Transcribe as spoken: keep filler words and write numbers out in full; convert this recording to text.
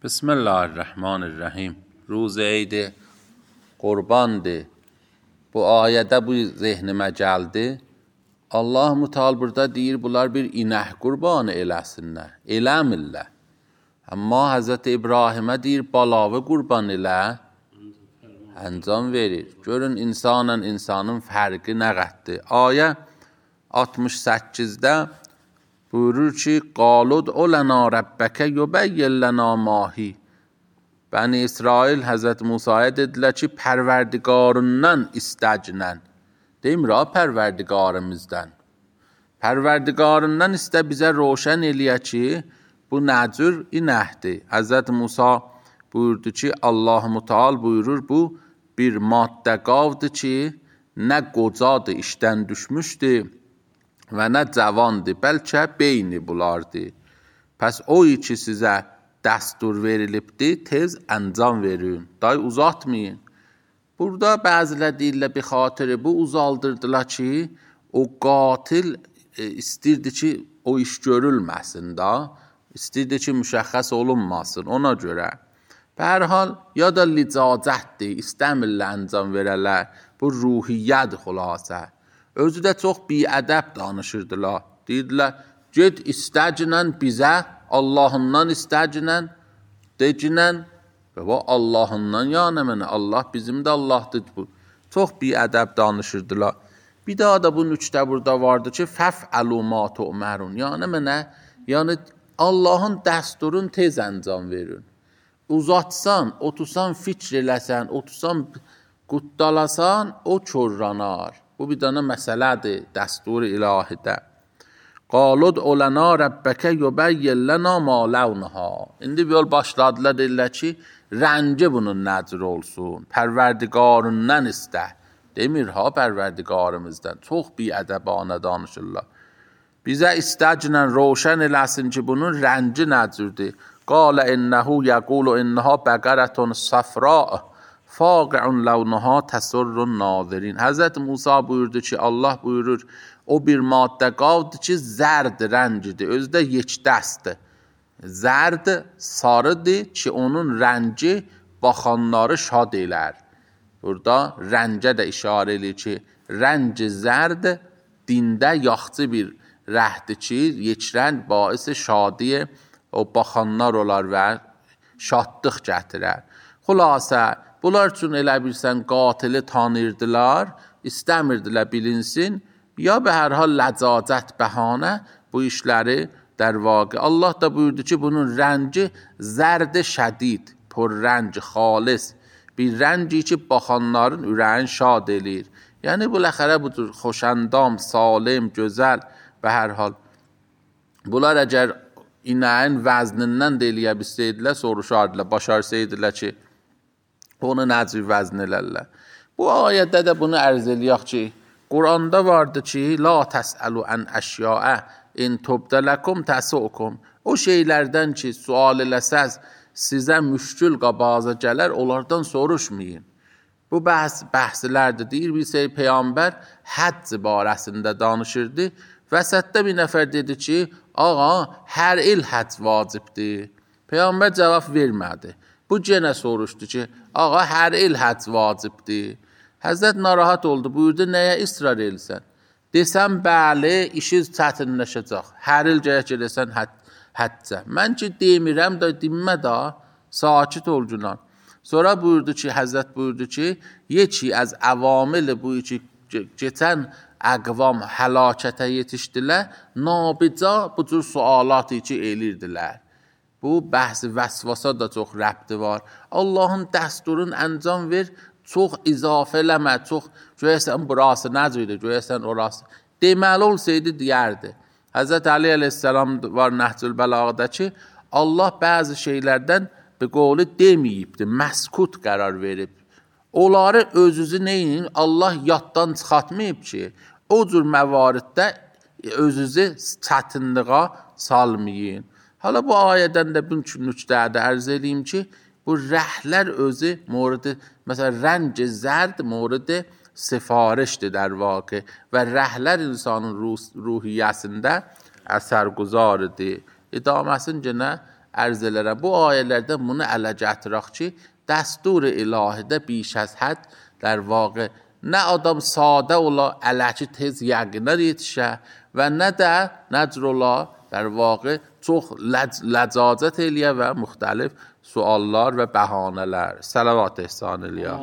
Bismillahirrahmanirrahim. Ruz Eid Qurbandır. Bu ayədə bu zehnimə gəldi. Allah Müteal burada deyir, bunlar bir inək qurbanı eləsinlər. Eləmirlər. Amma Həzrəti İbrahimə deyir, balavı qurban elə, əncam verir. Görün, insanla insanın fərqi nə qəddir. Ayə altmış səkkizdə buyurur ki, qalud olana rəbbəkə yubəyyin lana mahi. Bəni İsrail Həzrət Musaya dedilər ki, pərverdigarından istəcinən. Demir ha, pərverdigarımızdan. Pərverdigarından istə bizə roşən eləyə ki, bu nəcür inəkdir. Həzrət Musa buyurdu ki, Allah Müteal buyurur, bu bir maddə qavdır ki, nə qocadır, işdən düşmüşdür və nə cavandır, bəlkə beyni bulardır. Pəs o ki sizə dəstur verilibdir, tez əncam verin, day uzatmayın. Burada bəzilər deyirlər, bir xatırı bu uzaldırdılar ki, o qatil e, istirdi ki, o iş görülməsin da, istirdi ki, müşəxəs olunmasın, ona görə. Hər hal, ya da licacətdir, istəmirlər əncam verələr, bu ruhiyyədir xülasə. Özü də çox biədəb danışırdılar. Deyirdilər, get istəcinən bizə, Allahından istəcinən, decinən, və bu Allahından yəni mənə, Allah bizim də Allahdır bu. Çox biədəb danışırdılar. Bir daha da bu nüçdə burada vardı ki, fəf'əlu ma tu'mərun. Yəni mənə, yəni Allahın dəsturun tez əncam verin. Uzatsan, otursan fikr eləsən, otursan quddalasan, o körranar. Bu bir dənə məsələdir, dəstur-i ilahidə. Qalud olana rəbbəkə yubəyyin lana ma ləvnəha. İndi bir yol başladılar, deyirlər ki, rənci bunun nəcr olsun, pərverdigarından istə. Demir ha, pərverdigarımızdan. Çox biədəbanə danışırlar. Bizə istəcinən roşən eləsin ki, bunun rənci nəcrdir. Qalə innəhu yəqulu innəha bəqərətun səfra'ı. Faqi'un ləvnəha təsurrun nazirin. Həzrət Musa buyurdu ki, Allah buyurur, o bir maddə qavdır ki, zərd rəncidir, özü də yekdəsdir. Zərd sarıdır ki, onun rənci baxanları şad elər. Burada rəncə də işarə edir ki, rənci zərd dində yaxçı bir rəhdir ki, yekrəng baisi şadiyə o baxanlar olar və şadlıq gətirər. Xülasə, bunlar üçün elə bilsən qatili tanırdılar, istəmirdilər bilinsin, ya be hər hal ləcacət bəhanə bu işləri در واقع. Allah da buyurdu ki, bunun rənci zərd şədid, پر rənc, xalis, bir rənci ki, baxanların ürəyin şad eləyir. Yəni, bu ləxərə budur, xoşəndam, salim, gözəl və hər hal. Bunlar əgər inəyin vəznindən də eləyə bilsəydilər, soruşardılar, başarsaydılar ki, onu nəcib vəzn elərlər. Bu ayədə də bunu ərz eləyək ki, Quranda vardı ki, la təsəlu ən əşyaə in tubdələkum təsukum. O şeylərdən ki, sual eləsəz, sizə müşkül qabaza gələr, onlardan soruşmayın. Bu bəhs, bəhslərdir. Deyir, bir şey Peyğəmbər həcc barəsində danışırdı. Vəsətdə bir nəfər dedi ki, ağa, hər il həcc vacibdir. Peyğəmbər cavab vermədi. Bu genə soruşdu ki, ağa, hər il həcc vacibdir. Həzrət narahat oldu, buyurdu, nəyə israr elsən? Desəm, bəli, işiniz çətinləşəcək. Hər il gərək eləsən həccə. Mən ki, demirəm da, dinmə da, sakit ol günan. Sonra buyurdu ki, Həzrət buyurdu ki, yeki az əvamil bu ki, geçən əqvam həlakətə yetişdilər, nabica bu cür sualatı ki, elirdilər. Bu, bəhs-i vəsvasa da çox rəbti var. Allahın dəsturun əncam ver, çox izafə eləmə, çox görəsən burası nəcədir, görəsən orası. Deməli olsaydı deyərdi. Həzrət Ali əleyhissalam var Nəhcül Bəlağda ki, Allah bəzi şeylərdən bir qovlu deməyibdir, məskut qərar verib. Onları özünüzü neyin? Allah yaddan çıxatmayıb ki, o cür məvariddə özünüzü çətinliğə salmayın. Hala bu ayədən də bu nüqtədə ərz edeyim ki, bu rəhlər özü moridi, məsələn, rənc zərd moridi sifarişdir در واقع və rəhlər insanın ruh, ruhiyyəsində əsər quzarıdır. İdaməsin genə ərz elərəm. Bu ayələrdə bunu ələ gətirək ki, dəstur-i ilahidə biş az hədd در واقع نه adam sadə ola, ələki tez yəqinə yetişə və nə də nəcr ola, در واقع çox ləcacət eləyə və müxtəlif suallar və bəhanələr. Salavat ehsan eləyə.